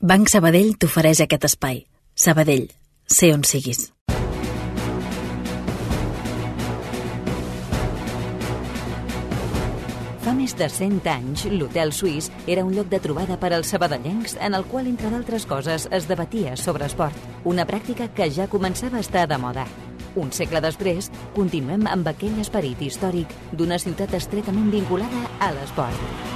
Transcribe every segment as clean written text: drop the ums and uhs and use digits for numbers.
Banc Sabadell t'ofereix aquest espai. Sabadell, sé on siguis. Fa més de 100 anys, l'Hotel Suís era un lloc de trobada per als sabadellencs en el qual, entre d'altres coses, es debatia sobre esport. Una pràctica que ja començava a estar de moda. Un segle després, continuem amb aquell esperit històric d'una ciutat estretament vinculada a l'esport.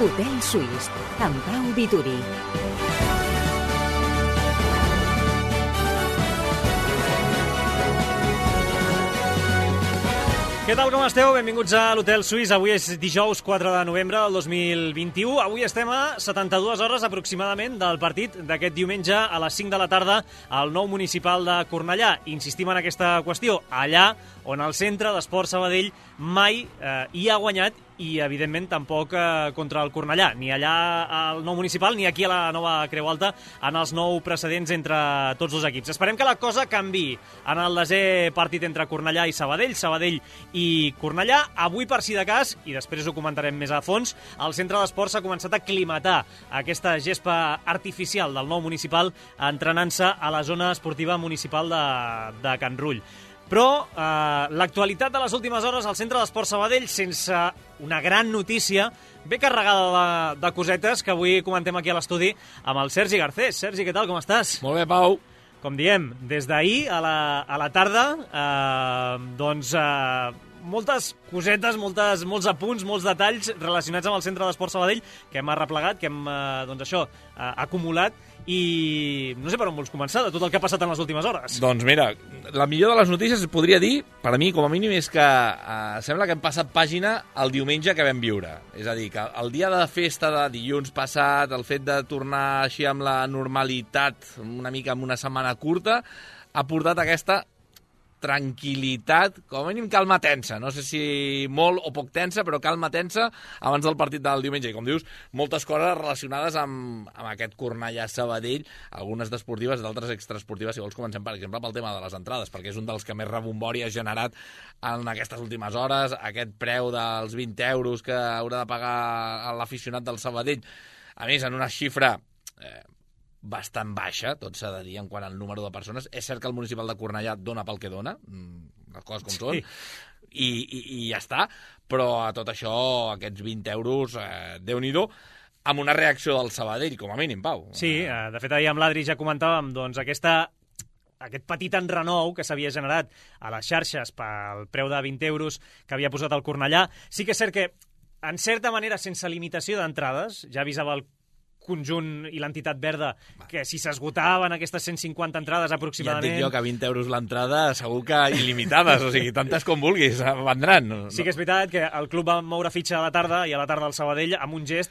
Hotel Suís, amb Pau Vituri. Què tal, com esteu? Benvinguts a l'Hotel Suís. Avui és dijous 4 de novembre del 2021. Avui estem a 72 hores aproximadament del partit d'aquest diumenge a les 5 de la tarda al nou municipal de Cornellà. Insistim en aquesta qüestió. Allà on el Centre d'Esport Sabadell mai hi ha guanyat i, evidentment, tampoc contra el Cornellà, ni allà al nou municipal ni aquí a la nova Creu Alta en els 9 precedents entre tots dos equips. Esperem que la cosa canvi en el desè partit entre Cornellà i Sabadell, Sabadell i Cornellà. Avui, per si de cas, i després ho comentarem més a fons, el Centre d'Esport s'ha començat a aclimatar aquesta gespa artificial del nou municipal entrenant-se a la zona esportiva municipal de Can Rull. Però l'actualitat de les últimes hores al Centre d'Esport Sabadell, sense una gran notícia, ve carregada de cosetes que avui comentem aquí a l'estudi amb el Sergi Garcés. Sergi, què tal, com estàs? Molt bé, Pau. Com diem, des d'ahir a la tarda, moltes cosetes, molts apunts, molts detalls relacionats amb el Centre d'Esport Sabadell que hem arreplegat, que hem acumulat, i no sé per on vols començar, de tot el que ha passat en les últimes hores. Doncs mira, la millor de les notícies, podria dir, per a mi, com a mínim, és que sembla que hem passat pàgina el diumenge que vam viure. És a dir, que el dia de festa de dilluns passat, el fet de tornar així amb la normalitat, una mica amb una setmana curta, ha portat aquesta tranquil·litat, com a mínim calma tensa. No sé si molt o poc tensa, però calma tensa abans del partit del diumenge. I com dius, moltes coses relacionades amb aquest Cornellà-Sabadell, algunes d'esportives, d'altres extraesportives. Si vols, comencem, per exemple, pel tema de les entrades, perquè és un dels que més rebombori ha generat en aquestes últimes hores. Aquest preu dels 20 euros que haurà de pagar l'aficionat del Sabadell, a més, en una xifra bastant baixa, tot s'ha de dir, en quant al número de persones. És cert que el municipal de Cornellà dona pel que dona, les coses com són, i ja està, però a tot això, aquests 20 euros, Déu-n'hi-do, amb una reacció del Sabadell, com a mínim, Pau. Sí, de fet, ahir amb l'Adri ja comentàvem doncs, aquest petit enrenou que s'havia generat a les xarxes pel preu de 20 euros que havia posat el Cornellà. Sí que és cert que, en certa manera, sense limitació d'entrades, ja avisava el conjunt i l'entitat verda que si s'esgotaven aquestes 150 entrades aproximadament... Ja et dic jo que 20 euros l'entrada segur que il·limitades, o sigui, tantes com vulguis, vendran. Sí que és veritat que el club va moure fitxa a la tarda i a la tarda el Sabadell amb un gest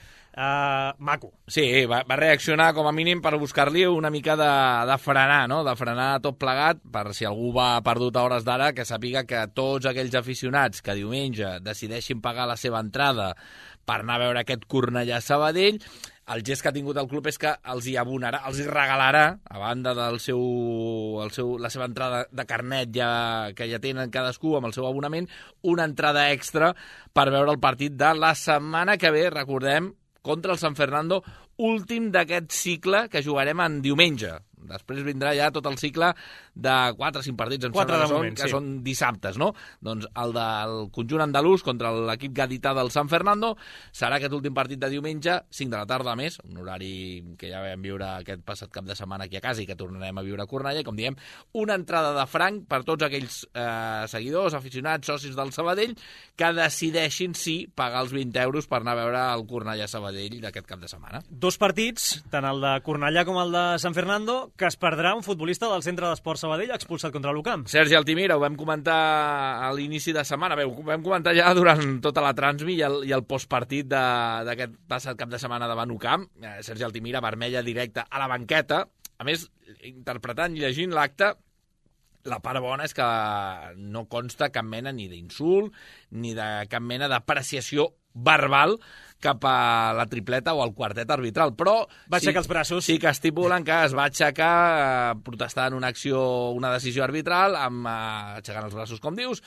maco. Sí, va reaccionar com a mínim per buscar-li una mica de frenar, no? De frenar tot plegat, per si algú va perdut a hores d'ara, que sàpiga que tots aquells aficionats que diumenge decideixin pagar la seva entrada per anar a veure aquest Cornellà-Sabadell, el gest que ha tingut el club és que els hi abonarà, els hi regalarà, a banda del la seva entrada de carnet que ja tenen cadascú amb el seu abonament, una entrada extra per veure el partit de la setmana que ve, recordem, contra el San Fernando, últim d'aquest cicle que jugarem en diumenge. Després vindrà ja tot el cicle de 4 o 5 partits, que són dissabtes, no? Doncs el del conjunt andalús contra l'equip gadità del San Fernando serà aquest últim partit de diumenge, 5 de la tarda més, un horari que ja vam viure aquest passat cap de setmana aquí a casa i que tornarem a viure a Cornellà, i com diem, una entrada de franc per tots aquells seguidors, aficionats, socis del Sabadell, que decideixin pagar els 20 euros per anar a veure el Cornellà-Sabadell d'aquest cap de setmana. 2 partits, tant el de Cornellà com el de San Fernando, que es perdrà un futbolista del Centre d'Esport Sabadell expulsat contra l'UCAM. Sergi Altimira, ho vam comentar a l'inici de setmana, ho vam comentar ja durant tota la transmi i el postpartit d'aquest passat cap de setmana davant UCAM. Sergi Altimira, vermella directa a la banqueta. A més, interpretant i llegint l'acte, la part bona és que no consta cap mena ni d'insult ni de cap mena d'apreciació verbal cap a la tripleta o al quartet arbitral, però va aixecar els braços. Sí que estipulen que es va aixecar protestant una decisió arbitral, aixecant els braços, com dius,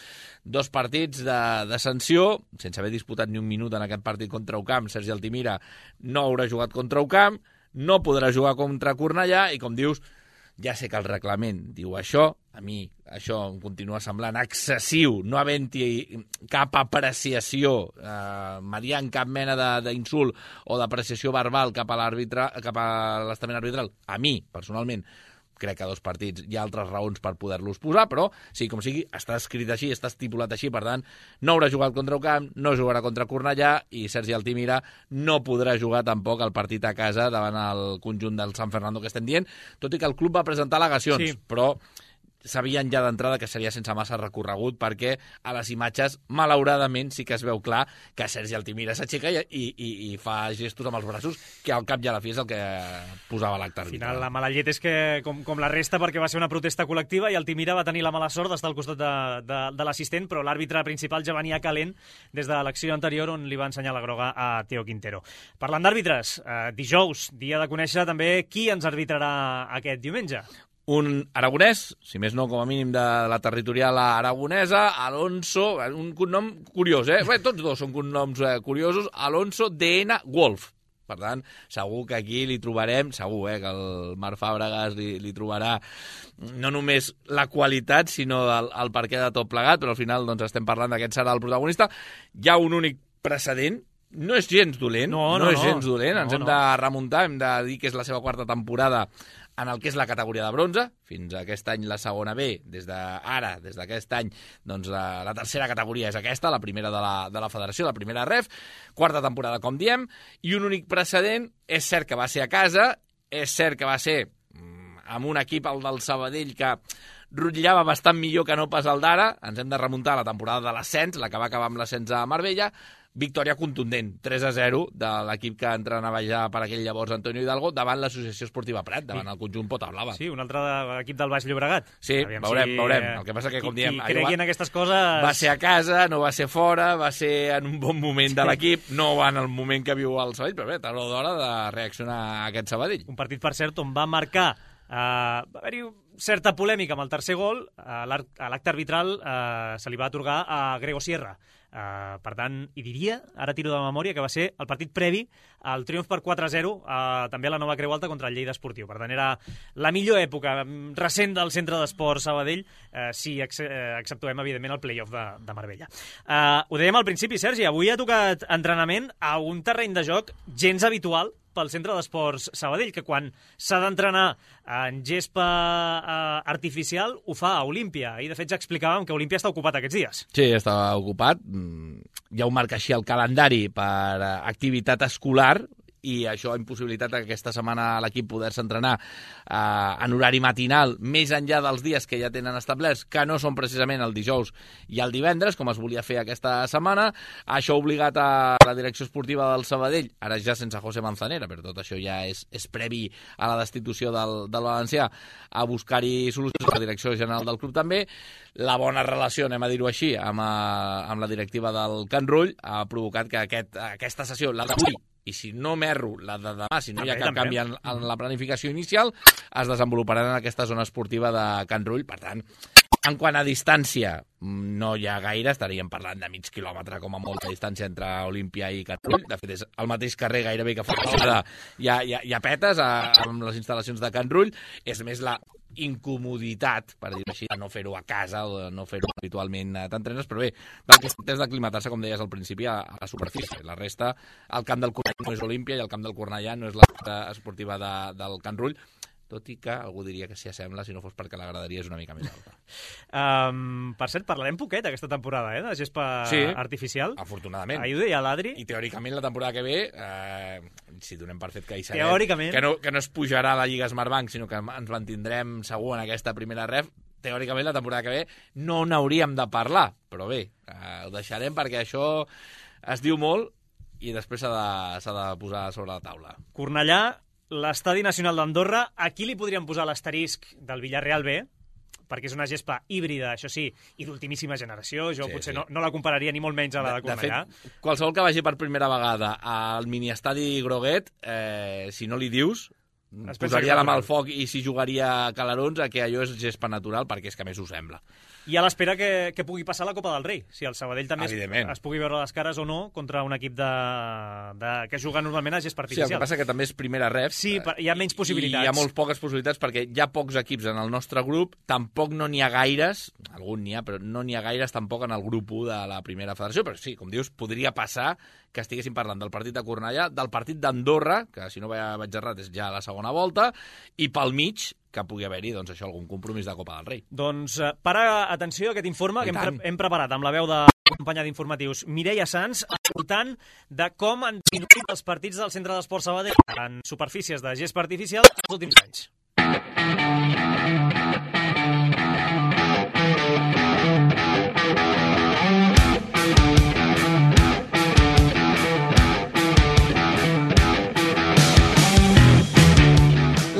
2 partits de sanció, sense haver disputat ni un minut en aquest partit contra Ocamp. Sergi Altimira no haurà jugat contra Ocamp, no podrà jugar contra Cornellà i, com dius, ja sé que el reglament diu això, a mi això em continua semblant excessiu, no havent-hi cap apreciació mediant cap mena d'insult o d'apreciació verbal cap a l'estament arbitral. A mi, personalment, crec que 2 partits hi ha altres raons per poder-los posar, però sí, com sigui, està escrit així, està estipulat així, per tant, no haurà jugat contra Ocamp, no jugarà contra Cornellà i Sergi Altimira no podrà jugar tampoc el partit a casa davant el conjunt del San Fernando que estem dient, tot i que el club va presentar al·legacions, sí. Però sabien ja d'entrada que seria sense massa recorregut perquè a les imatges, malauradament, sí que es veu clar que Sergi Altimira s'aixeca i fa gestos amb els braços, que al cap i a la fi és el que posava l'acte arbitral. Al final, la mala llet és que, com la resta, perquè va ser una protesta col·lectiva i Altimira va tenir la mala sort d'estar al costat de l'assistent, però l'àrbitre principal ja venia calent des de l'acció anterior on li va ensenyar la groga a Teo Quintero. Parlant d'àrbitres, dijous, dia de conèixer també qui ens arbitrarà aquest diumenge. Un aragonès, si més no, com a mínim de la territorial aragonesa, Alonso, un cognom curiós, Bé, tots 2 són cognoms curiosos, Alonso DN Wolf. Per tant, segur que aquí li trobarem, segur, que el Marc Fàbregas li trobarà no només la qualitat, sinó el perquè de tot plegat, però al final doncs, estem parlant d'aquest serà el protagonista. Hi ha un únic precedent, no és gens dolent, no és gens dolent, ens hem de remuntar, hem de dir que és la seva 4ª temporada en el que és la categoria de bronze, fins a aquest any la segona B, des d'aquest any, doncs la 3ª categoria és aquesta, la primera de la federació, la primera ref, 4ª temporada, com diem, i un únic precedent, és cert que va ser a casa, és cert que va ser amb un equip, el del Sabadell, que rotllava bastant millor que no pas el d'ara, ens hem de remuntar a la temporada de l'ascens, la que va acabar amb l'ascens a Marbella, victòria contundent, 3-0 de l'equip que entrenava ja per aquell llavors Antonio Hidalgo davant l'Associació Esportiva Prat, davant el conjunt Pota Blava. Sí, un altre equip del Baix Llobregat. Sí, veurem. El que passa que, com diem, cregui en aquestes coses... Va ser a casa, no va ser fora, va ser en un bon moment de l'equip, no va en el moment que viu el Sabadell, però bé, tard o d'hora de reaccionar a aquest Sabadell. Un partit, per cert, on va marcar... va haver-hi certa polèmica amb el tercer gol, a l'acte arbitral se li va atorgar a Grego Sierra. Per tant, hi diria, ara tiro de memòria, que va ser el partit previ al triomf per 4-0 també a la Nova Creu Alta contra el Lleida Esportiu. Per tant, era la millor època recent del Centre d'Esport Sabadell, si exceptuem, evidentment, el play-off de Marbella. Ho dèiem al principi, Sergi, avui ha tocat entrenament a un terreny de joc gens habitual pel Centre d'Esports Sabadell, que quan s'ha d'entrenar en gespa artificial ho fa a Olímpia. I, de fet, ja explicàvem que Olímpia està ocupat aquests dies. Sí, està ocupat. Ja ho marca així el calendari per activitat escolar, i això ha impossibilitat que aquesta setmana l'equip poder-se entrenar en horari matinal, més enllà dels dies que ja tenen establerts, que no són precisament el dijous i el divendres, com es volia fer aquesta setmana. Això ha obligat a la direcció esportiva del Sabadell, ara ja sense José Manzanera, però tot això ja és previ a la destitució del valencià, a buscar-hi solucions. La direcció general del club també. La bona relació, anem a dir-ho així, amb la directiva del Can Rull ha provocat que aquesta sessió, la d'avui, i si no m'erro, la de demà, si no hi ha cap canvi en la planificació inicial, es desenvoluparà en aquesta zona esportiva de Can Rull. Per tant, en quant a distància, no hi ha gaire, estaríem parlant de mig quilòmetre com a molta distància entre Olímpia i Can Rull. De fet, és el mateix carrer gairebé que fa hi ha petes amb les instal·lacions de Can Rull. És més la incomoditat, per dir-ho així, de no fer-ho a casa o de no fer-ho habitualment t'entrenes, però bé, del que es tracta és d'aclimatar-se, com deies al principi, a la superfície. La resta, el camp del Cornellà no és Olímpia i el camp del Cornellà no és la pista esportiva del Can Rull, tot i que algú diria que s'hi assembla si no fos perquè la graderia és una mica més alta. Per cert, parlarem poquet aquesta temporada, de gespa artificial. Afortunadament. Ahir ho deia l'Adri. I teòricament la temporada que ve, si donem per fet que hi serem, teòricament, que no es pujarà a la Lliga Smartbank, sinó que ens mantindrem segur en aquesta primera ref, teòricament la temporada que ve no n'hauríem de parlar, però bé, ho deixarem perquè això es diu molt i després s'ha de posar sobre la taula. Cornellà, l'Estadi Nacional d'Andorra, aquí li podríem posar l'asterisc del Villarreal B, perquè és una gespa híbrida, això sí, i d'ultimíssima generació. Jo potser no la compararia ni molt menys a la de Cornellà. De fet, qualsevol que vagi per primera vegada al miniestadi Groguet, si no li dius, posaria la mà al foc i si jugaria a Calarons que allò és gespa natural, perquè és que a més ho sembla. I a l'espera que pugui passar la Copa del Rei. Si el Sabadell també es pugui veure les cares o no contra un equip que juga normalment a gespa artificial. Sí, el que passa que també és primera ref. Sí, hi ha menys possibilitats. I hi ha molt poques possibilitats perquè hi ha pocs equips en el nostre grup, tampoc no n'hi ha gaires, algun n'hi ha, però no n'hi ha gaires tampoc en el grup 1 de la primera federació, però sí, com dius, podria passar que estiguéssim parlant del partit de Cornellà, del partit d'Andorra, que si no vaig errat és ja la segona volta, i pel mig que pugui haver-hi, doncs això, algun compromís de Copa del Rei. Doncs para atenció a aquest informe que hem preparat amb la veu de la companya d'informatius Mireia Sans, escoltant de com han disminuït els partits del Centre d'Esports Sabadell en superfícies de gespa artificial els últims anys.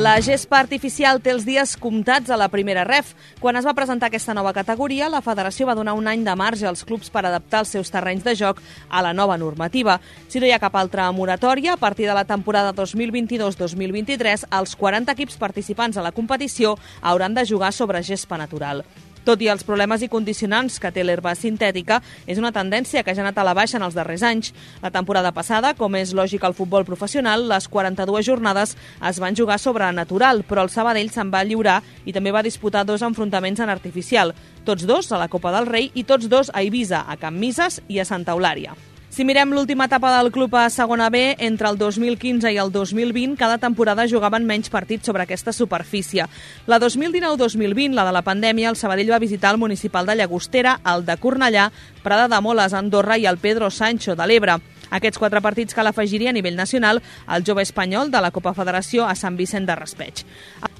La gespa artificial té els dies comptats a la primera ref. Quan es va presentar aquesta nova categoria, la federació va donar un any de marge als clubs per adaptar els seus terrenys de joc a la nova normativa. Si no hi ha cap altra moratòria, a partir de la temporada 2022-2023, els 40 equips participants a la competició hauran de jugar sobre gespa natural. Tot i els problemes i condicionants que té l'herba sintètica, és una tendència que ja ha anat a la baixa en els darrers anys. La temporada passada, com és lògic al futbol professional, les 42 jornades es van jugar sobre natural, però el Sabadell se'n va lliurar i també va disputar 2 enfrontaments en artificial, tots 2 a la Copa del Rei i tots 2 a Eivissa, a Can Mises i a Santa Eulària. Si mirem l'última etapa del club a segona B, entre el 2015 i el 2020, cada temporada jugaven menys partits sobre aquesta superfície. La 2019-2020, la de la pandèmia, el Sabadell va visitar el municipal de Llagostera, el de Cornellà, Prada de Moles, Andorra i el Pedro Sancho de l'Ebre. Aquests 4 partits cal afegir-hi a nivell nacional el jove espanyol de la Copa Federació a Sant Vicent de Raspeig.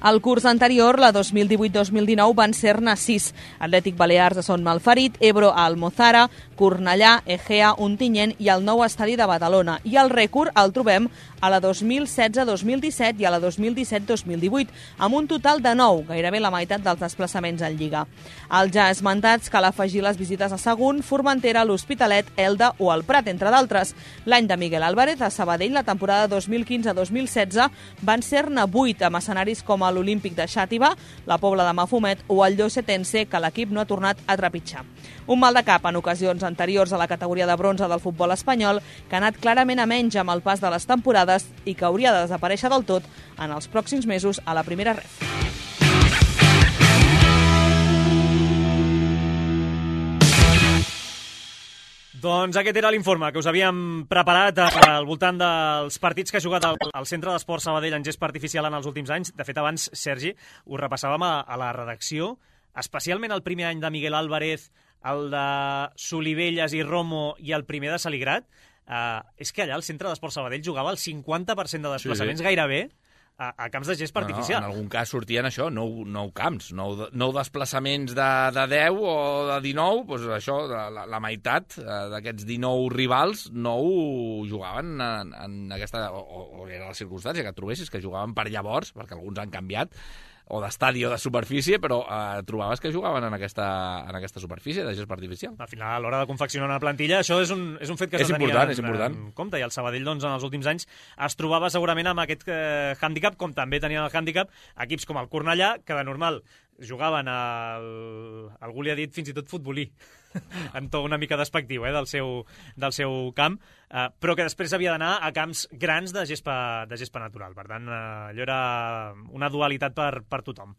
El curs anterior, la 2018-2019, van ser-ne 6. Atlètic Balears de Son Malferit, Ebro a Almozara, Cornellà, Egea, Ontinyent i el nou estadi de Badalona. I el rècord el trobem a la 2016-2017 i a la 2017-2018, amb un total de 9, gairebé la meitat dels desplaçaments en Lliga. Als ja esmentats cal afegir les visites a Sagunt, Formentera, l'Hospitalet, Elda o el Prat, entre d'altres. L'any de Miguel Álvarez a Sabadell, la temporada 2015-2016, van ser-ne 8 amb escenaris com l'Olímpic de Xàtiva, la Pobla de Mafumet o el Llosetense, que l'equip no ha tornat a trepitjar. Un mal de cap en ocasions anteriors a la categoria de bronze del futbol espanyol, que ha anat clarament a menys amb el pas de les temporades i que hauria de desaparèixer del tot en els pròxims mesos a la primera ref. Doncs aquest era l'informe que us havíem preparat al voltant dels partits que ha jugat el Centre d'Esports Sabadell en gespa artificial en els últims anys. De fet, abans, Sergi, ho repassàvem a la redacció, especialment el primer any de Miguel Álvarez, el de Solivelles i Romo i el primer de Saligrat. És que allà el Centre d'Esports Sabadell jugava el 50% de desplaçaments gairebé a camps de gespa artificial. En algun cas sortien això, 9 camps, 9 desplaçaments de 10 o de 19, doncs això, la meitat d'aquests 19 rivals, 9 jugaven en aquesta, o era la circumstància que et trobessis, que jugaven per llavors, perquè alguns han canviat, o d'estadi o de superfície, però trobaves que jugaven en aquesta superfície de gespa artificial. Al final, a l'hora de confeccionar una plantilla, això és un fet que s'ha de tenir en compte, i el Sabadell, doncs, en els últims anys es trobava segurament amb aquest hàndicap, com també tenien el hàndicap equips com el Cornellà, que de normal jugaven algú li ha dit fins i tot futbolí, en to una mica despectiu del seu camp, però que després havia d'anar a camps grans de gespa natural. Per tant, allò era una dualitat per tothom.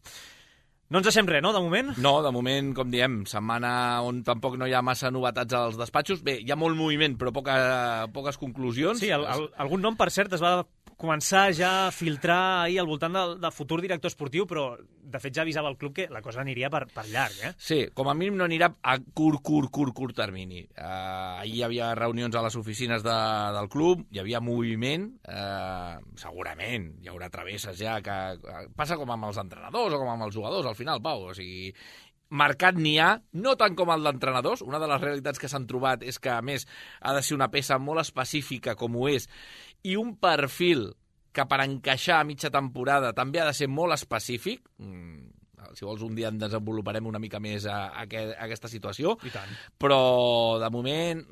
No ens deixem res, no, de moment? No, de moment, com diem, setmana on tampoc no hi ha massa novetats als despatxos. Bé, hi ha molt moviment, però poques conclusions. Sí, algun nom, per cert, es va començar ja a filtrar ahir al voltant del futur director esportiu, però de fet ja avisava el club que la cosa aniria per llarg, eh? Sí, com a mínim no anirà a curt termini. Ahir hi havia reunions a les oficines del club, hi havia moviment, segurament hi haurà travesses ja, que passa com amb els entrenadors o com amb els jugadors, al final, Pau, o sigui, mercat n'hi ha, no tant com el d'entrenadors. Una de les realitats que s'han trobat és que, a més, ha de ser una peça molt específica com ho és, i un perfil que per encaixar a mitja temporada també ha de ser molt específic. si vols un dia en desenvoluparem una mica més aquesta situació. I tant. Però, de moment,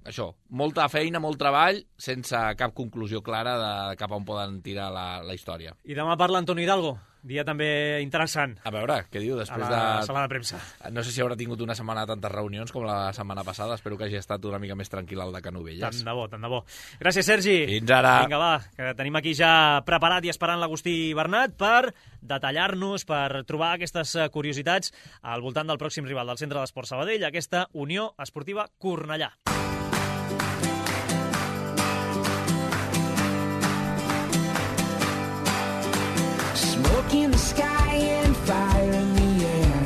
això, molta feina, molt treball, sense cap conclusió clara de cap on poden tirar la història. I demà parla Antonio Hidalgo, dia també interessant. A veure, què diu després de... A la sala de premsa. No sé si haurà tingut una setmana de tantes reunions com la setmana passada. Espero que hagi estat una mica més tranquil al de Canovelles. Tant de bo. Gràcies, Sergi. Fins ara. Vinga, va, que tenim aquí ja preparat i esperant l'Agustí Bernat per detallar-nos, per trobar aquestes curiositats al voltant del pròxim rival del Centre d'Esport Sabadell, aquesta Unió Esportiva Cornellà. Smoke in the sky and fire in the air.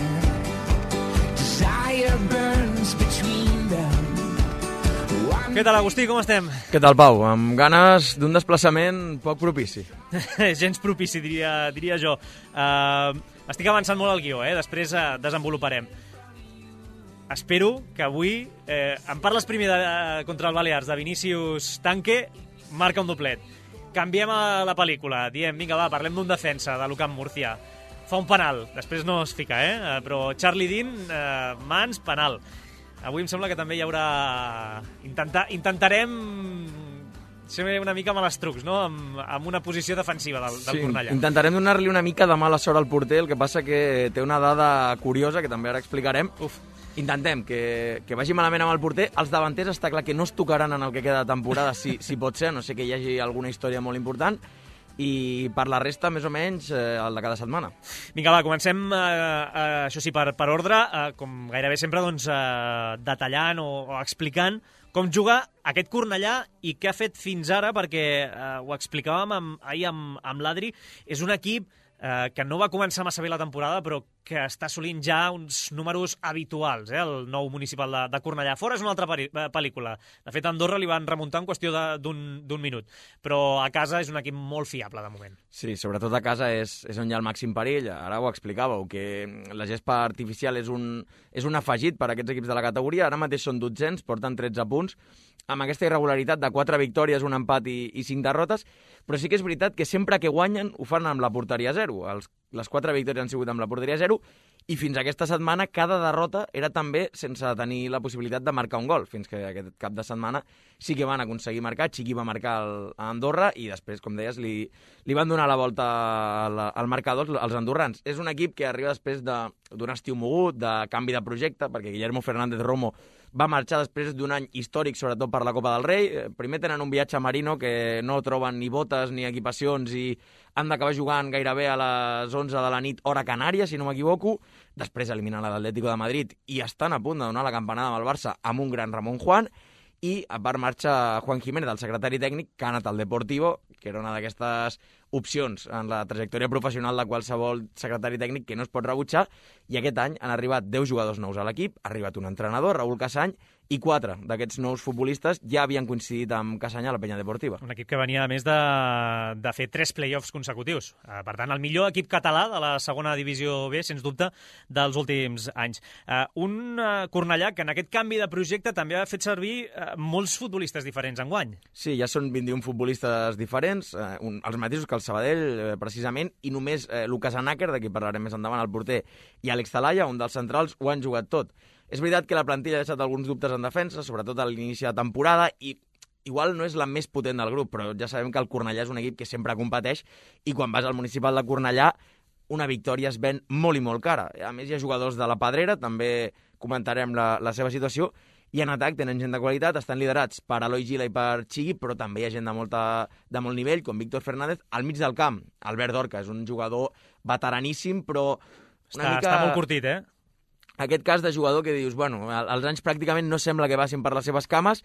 Desire burns between them. Què tal, Agustí, com estem? Què tal, Pau? Amb ganes d'un desplaçament poc propici. Gens propici, diria jo. Estic avançant molt al guió, després desenvoluparem. Espero que avui em parles primer contra el Balears, de Vinícius Tanque, marca un doblet. Canviem la pel·lícula, diem, vinga, va, parlem d'un defensa de l'Ucamp Murcia. Fa un penal, després no es fica, però Charlie Dean, mans, penal. Avui em sembla que també hi haurà... Intentarem ser una mica malestrucs, no?, amb una posició defensiva del Cornellà. Intentarem donar-li una mica de mala sort al porter, el que passa que té una dada curiosa, que també ara explicarem. Intentem que vagi malament amb el porter. Els davanters està clar que no es tocaran en el que queda de temporada, si pot ser, no sé que hi hagi alguna història molt important, i per la resta, més o menys, el de cada setmana. Vinga, va, comencem, això sí, per ordre, com gairebé sempre, doncs, detallant o explicant com juga aquest Cornellà i què ha fet fins ara, perquè ho explicàvem ahir amb l'Adri, és un equip que no va començar massa bé la temporada, però que està assolint ja uns números habituals, el nou municipal de Cornellà. Fora és una altra pel·lícula. De fet, a Andorra li van remuntar en qüestió d'un minut. Però a casa és un equip molt fiable, de moment. Sí, sobretot a casa és on hi ha el màxim perill. Ara ho explicàveu, que la gespa artificial és un afegit per a aquests equips de la categoria. Ara mateix són 200, porten 13 punts, amb aquesta irregularitat de 4 victòries, un empat i 5 derrotes, però sí que és veritat que sempre que guanyen ho fan amb la porteria 0. Les 4 victòries han sigut amb la porteria 0 i fins aquesta setmana cada derrota era també sense tenir la possibilitat de marcar un gol, fins que aquest cap de setmana sí que van aconseguir marcar. Chiqui va marcar a Andorra i després, com deies, li van donar la volta al marcador als andorrans. És un equip que arriba després d'un estiu mogut, de canvi de projecte, perquè Guillermo Fernández Romo va marxar després d'un any històric, sobretot per la Copa del Rei. Primer tenen un viatge a Marino que no troben ni botes ni equipacions i han d'acabar jugant gairebé a les 11 de la nit, hora Canària, si no m'equivoco. Després eliminen l'Atlético de Madrid i estan a punt de donar la campanada amb el Barça amb un gran Ramon Juan. I a part marxa Juan Jiménez, el secretari tècnic, que ha anat al Deportivo, que era una d'aquestes opcions en la trajectòria professional de qualsevol secretari tècnic que no es pot rebutjar, i aquest any han arribat 10 jugadors nous a l'equip, ha arribat un entrenador, Raúl Casany, i 4 d'aquests nous futbolistes ja havien coincidit amb Casany a la Penya Deportiva. Un equip que venia, a més, de fer 3 play-offs consecutius. Per tant, el millor equip català de la segona divisió B, sens dubte, dels últims anys. Un Cornellà que en aquest canvi de projecte també ha fet servir molts futbolistes diferents enguany. Sí, ja són 21 futbolistes diferents, els mateixos que el Sabadell, precisament, i només Lucas Anáquer, de qui parlarem més endavant, el porter, i Àlex Talaya, un dels centrals, ho han jugat tot. És veritat que la plantilla ha deixat alguns dubtes en defensa, sobretot a l'inici de temporada, i igual no és la més potent del grup, però ja sabem que el Cornellà és un equip que sempre competeix, i quan vas al municipal de Cornellà, una victòria es ven molt i molt cara. A més, hi ha jugadors de la Pedrera, també comentarem la seva situació, i en atac tenen gent de qualitat, estan liderats per Eloi Gila i per Chiqui, però també hi ha gent de molt nivell, com Víctor Fernández. Al mig del camp, Albert Dorca, és un jugador veteraníssim, però Està molt curtit, Aquest cas de jugador que dius, bueno, els anys pràcticament no sembla que passin per les seves cames,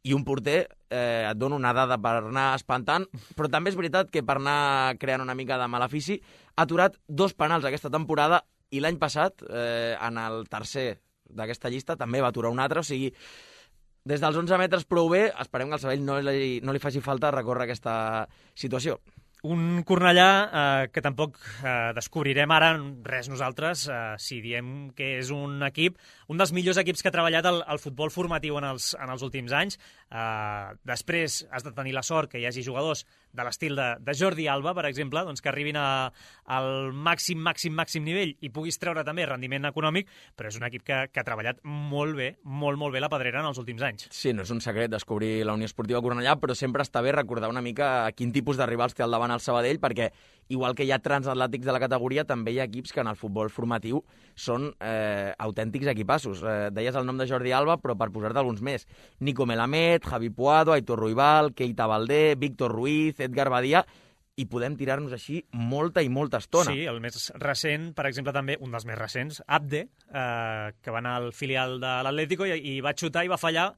i un porter et dona una dada per anar espantant, però també és veritat que per anar creant una mica de malefici ha aturat 2 penals aquesta temporada, i l'any passat, en el tercer d'aquesta llista, també va aturar un altre, o sigui, des dels 11 metres prou bé, esperem que al Sabadell no li faci falta recórrer aquesta situació. Un Cornellà que tampoc descobrirem ara res nosaltres si diem que és un equip, un dels millors equips que ha treballat el futbol formatiu en els últims anys. Després has de tenir la sort que hi hagi jugadors de l'estil de Jordi Alba, per exemple, doncs que arribin al màxim nivell i puguis treure també rendiment econòmic, però és un equip que ha treballat molt bé, molt bé la Pedrera en els últims anys. Sí, no és un secret descobrir la Unió Esportiva Cornellà, però sempre està bé recordar una mica quin tipus de rivals té al davant el Sabadell, perquè igual que hi ha transatlàntics de la categoria, també hi ha equips que en el futbol formatiu són autèntics equipassos. Deies el nom de Jordi Alba, però per posar-te alguns més. Nico Melamed, Javi Puado, Aitor Ruibal, Keita Valdé, Víctor Ruiz, Edgar Badia, i podem tirar-nos així molta i molta estona. Sí, el més recent, per exemple, també, un dels més recents, Abde, que va anar al filial de l'Atlético i va xutar i va fallar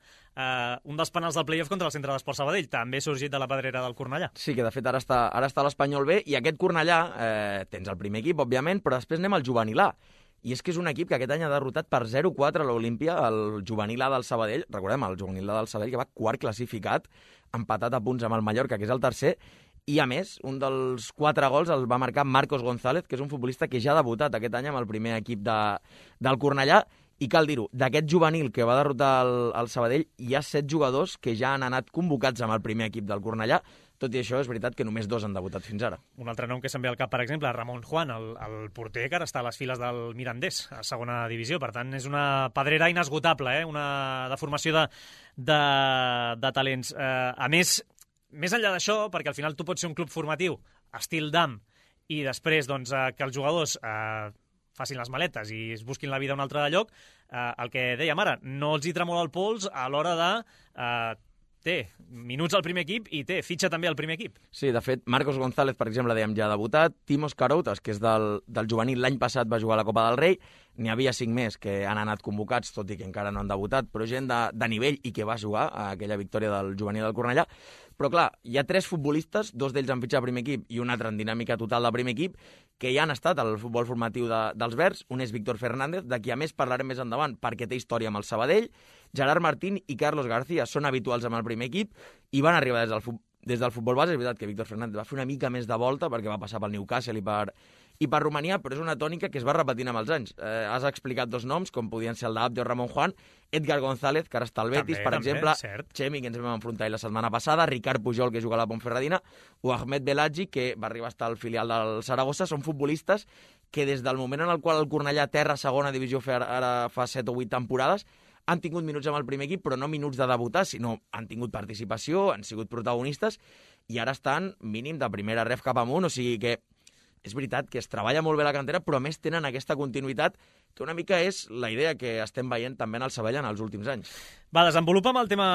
un dels penals del playoff contra el Centre d'Esport Sabadell, també sorgit de la Pedrera del Cornellà. Sí, que de fet ara està a l'Espanyol B, i aquest Cornellà, tens el primer equip, òbviament, però després anem al juvenil A. I és que és un equip que aquest any ha derrotat per 0-4 a l'Olímpia, el juvenil A del Sabadell. Recordem, el juvenil A del Sabadell, que va quart classificat, empatat a punts amb el Mallorca, que és el tercer. I, a més, un dels 4 gols el va marcar Marcos González, que és un futbolista que ja ha debutat aquest any amb el primer equip del Cornellà. I cal dir-ho, d'aquest juvenil que va derrotar el Sabadell, hi ha 7 jugadors que ja han anat convocats amb el primer equip del Cornellà. Tot i això, és veritat que només 2 han debutat fins ara. Un altre nom que se'm ve al cap, per exemple, Ramon Juan, el porter que ara està a les files del Mirandés, a segona divisió. Per tant, és una pedrera inesgotable, una deformació de talents. A més enllà d'això, perquè al final tu pots ser un club formatiu, estil DAM, i després doncs, que els jugadors facin les maletes i es busquin la vida a un altre lloc, el que dèiem ara, no els hi tremola el pols a l'hora de té minuts al primer equip i fitxa també al primer equip. Sí, de fet, Marcos González, per exemple, dèiem ja ha debutat, Timos Caroutas, que és del juvenil, l'any passat va jugar a la Copa del Rei, n'hi havia 5 més que han anat convocats, tot i que encara no han debutat, però gent de nivell i que va jugar a aquella victòria del juvenil del Cornellà. Però clar, hi ha 3 futbolistes, 2 d'ells han fitxat al primer equip i un altre en dinàmica total del primer equip, que ja han estat al futbol formatiu dels Verds. Un és Víctor Fernández, de qui a més parlarem més endavant perquè té història amb el Sabadell. Gerard Martín i Carlos García són habituals amb el primer equip i van arribar des del futbol base. És veritat que Víctor Fernández va fer una mica més de volta perquè va passar pel Newcastle i per Romania, però és una tònica que es va repetint amb els anys. Has explicat 2 noms, com podien ser el d'Abde o Ramon Juan, Edgar González, que ara està al Betis, per exemple, Chemi, que ens vam enfrontar la setmana passada, Ricard Pujol, que juga a la Ponferradina, o Ahmed Belhadji, que va arribar a estar al filial del Saragossa. Són futbolistes que des del moment en el qual el Cornellà terra segona divisió ara fa 7 o 8 temporades, han tingut minuts amb el primer equip, però no minuts de debutar, sinó han tingut participació, han sigut protagonistes, i ara estan mínim de primera ref cap amunt, o sigui que és veritat que es treballa molt bé la cantera, però a més tenen aquesta continuïtat que una mica és la idea que estem veient també en el Sabadell en els últims anys. Va, desenvolupa'm el tema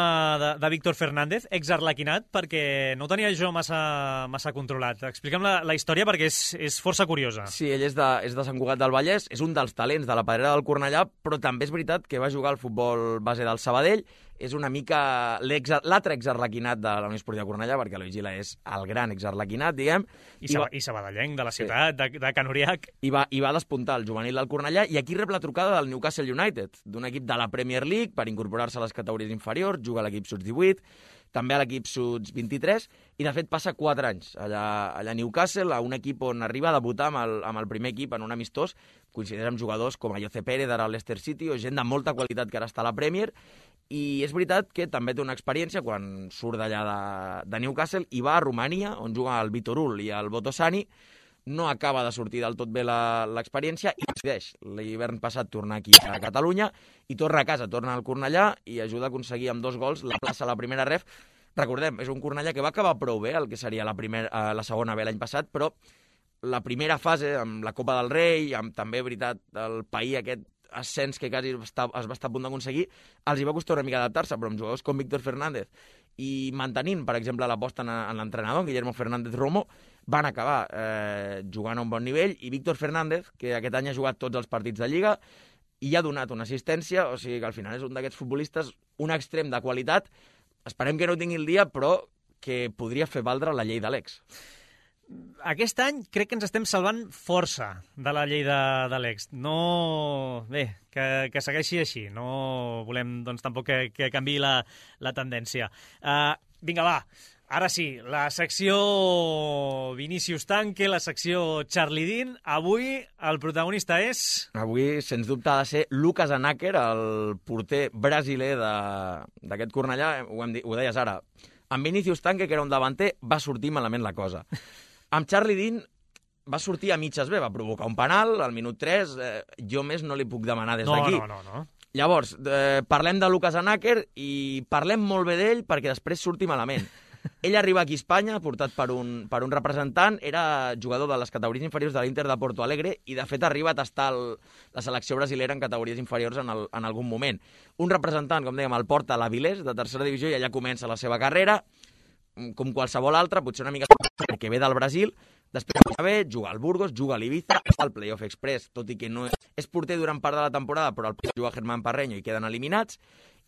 de Víctor Fernández, exarlequinat, perquè no tenia jo massa controlat. Explica'm la història perquè és força curiosa. Sí, ell és de Sant Cugat del Vallès, és un dels talents de la Pedrera del Cornellà, però també és veritat que va jugar al futbol base del Sabadell. És una mica l'altre exarlequinat de la Unió Esportiva Cornellà, perquè Eloi Gila és el gran exarlequinat, diguem. I sabadellenc de la ciutat, sí. de Can Uriac. I va despuntar el juvenil del Cornellà, i aquí rep la trucada del Newcastle United, d'un equip de la Premier League per incorporar-se a les categories inferiors, juga a l'equip Sub-18, també a l'equip Sub-23, i de fet passa 4 anys allà a Newcastle, a un equip on arriba a debutar amb el primer equip en un amistós, coincideix amb jugadors com Ayoce Pérez ara al Leicester City, o gent de molta qualitat que ara està a la Premier, i és veritat que també té una experiència quan surt d'allà de Newcastle i va a Romania, on juga el Viitorul i el Botoșani. No acaba de sortir del tot bé l'experiència i decideix l'hivern passat tornar aquí a Catalunya i torna a casa, torna al Cornellà i ajuda a aconseguir amb 2 gols la plaça a la primera ref. Recordem, és un Cornellà que va acabar prou bé, el que seria la segona B l'any passat, però la primera fase, amb la Copa del Rei, amb també, veritat, el país aquest ascens que quasi es va estar a punt d'aconseguir, els hi va costar una mica adaptar-se, però amb jugadors com Víctor Fernández i mantenint, per exemple, l'aposta en l'entrenador, Guillermo Fernández Romo, van acabar jugant a un bon nivell, i Víctor Fernández, que aquest any ha jugat tots els partits de Lliga, i ha donat una assistència, o sigui que al final és un d'aquests futbolistes, un extrem de qualitat, esperem que no tingui el dia, però que podria fer valdre la llei de l'ex. Aquest any crec que ens estem salvant força de la llei de l'ex. No... Bé, que segueixi així. No volem, doncs, tampoc que canviï la tendència. Vinga, va. Ara sí, la secció Vinícius Tanque, la secció Charlie Dean. Avui el protagonista és... Avui, sens dubte, ha de ser Lucas Anaker, el porter brasiler d'aquest Cornellà. Ho deies ara. Amb Vinicius Tanque, que era un davanter, va sortir malament la cosa. Amb Charlie Dean va sortir a mitges bé, va provocar un penal al minut 3, jo més no li puc demanar des d'aquí. No. Llavors, parlem de Lucas Anaker i parlem molt bé d'ell perquè després surti malament. Ell arriba aquí a Espanya, portat per un representant, era jugador de les categories inferiors de l'Inter de Porto Alegre i, de fet, arriba a tastar la selecció brasilera en categories inferiors en algun moment. Un representant, com dèiem, el porta a l'Avilés, de tercera divisió, i allà comença la seva carrera, com qualsevol altra, potser una mica que ve del Brasil, després juga al Burgos, juga a l'Ibiza, està al Playoff Express, tot i que no és porter durant part de la temporada, però el juga Germán Parreño i queden eliminats,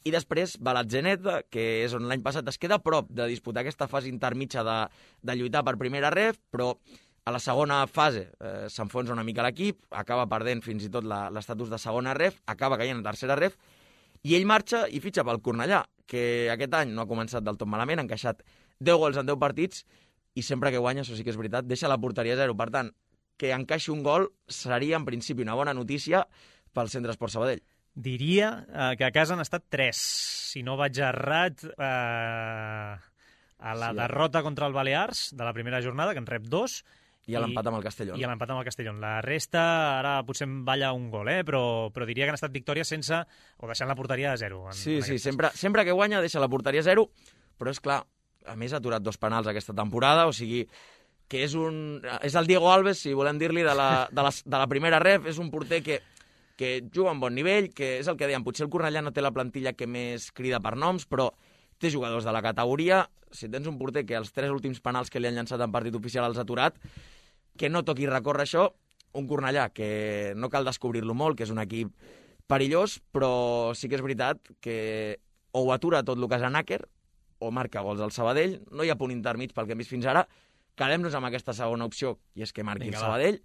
i després va a l'Atzeneta, que és on l'any passat es queda a prop de disputar aquesta fase intermitja de lluitar per primera ref, però a la segona fase s'enfonsa una mica l'equip, acaba perdent fins i tot l'estatus de segona ref, acaba caient a tercera ref, i ell marxa i fitxa pel Cornellà, que aquest any no ha començat del tot malament, ha encaixat 10 gols en 10 partits, i sempre que guanya, això sí que és veritat, deixa la porteria a 0. Per tant, que encaixi un gol seria, en principi, una bona notícia pel Centre Esport Sabadell. Diria que a casa han estat 3, si no vaig errat, a la derrota contra el Balears de la primera jornada, que en rep 2, i a l'empat amb el Castellón. I a l'empat amb el Castellón. La resta, ara potser em balla un gol, però diria que han estat victòries sense, o deixant la porteria a 0. Sí, sempre que guanya deixa la porteria a 0, però és clar, a més ha aturat 2 penals aquesta temporada, o sigui que és el Diego Alves, si volem dir-li, de la primera ref, és un porter que juga a un bon nivell, que és el que dèiem, potser el Cornellà no té la plantilla que més crida per noms, però té jugadors de la categoria. Si tens un porter que els 3 últims penals que li han llançat en partit oficial els ha aturat, que no toqui recórrer això, un Cornellà que no cal descobrir-lo molt, que és un equip perillós, però sí que és veritat que o ho atura tot Lucas Anaker o marca gols al Sabadell, no hi ha punt intermig pel que hem vist fins ara, quedem-nos amb aquesta segona opció, i és que marqui el Sabadell,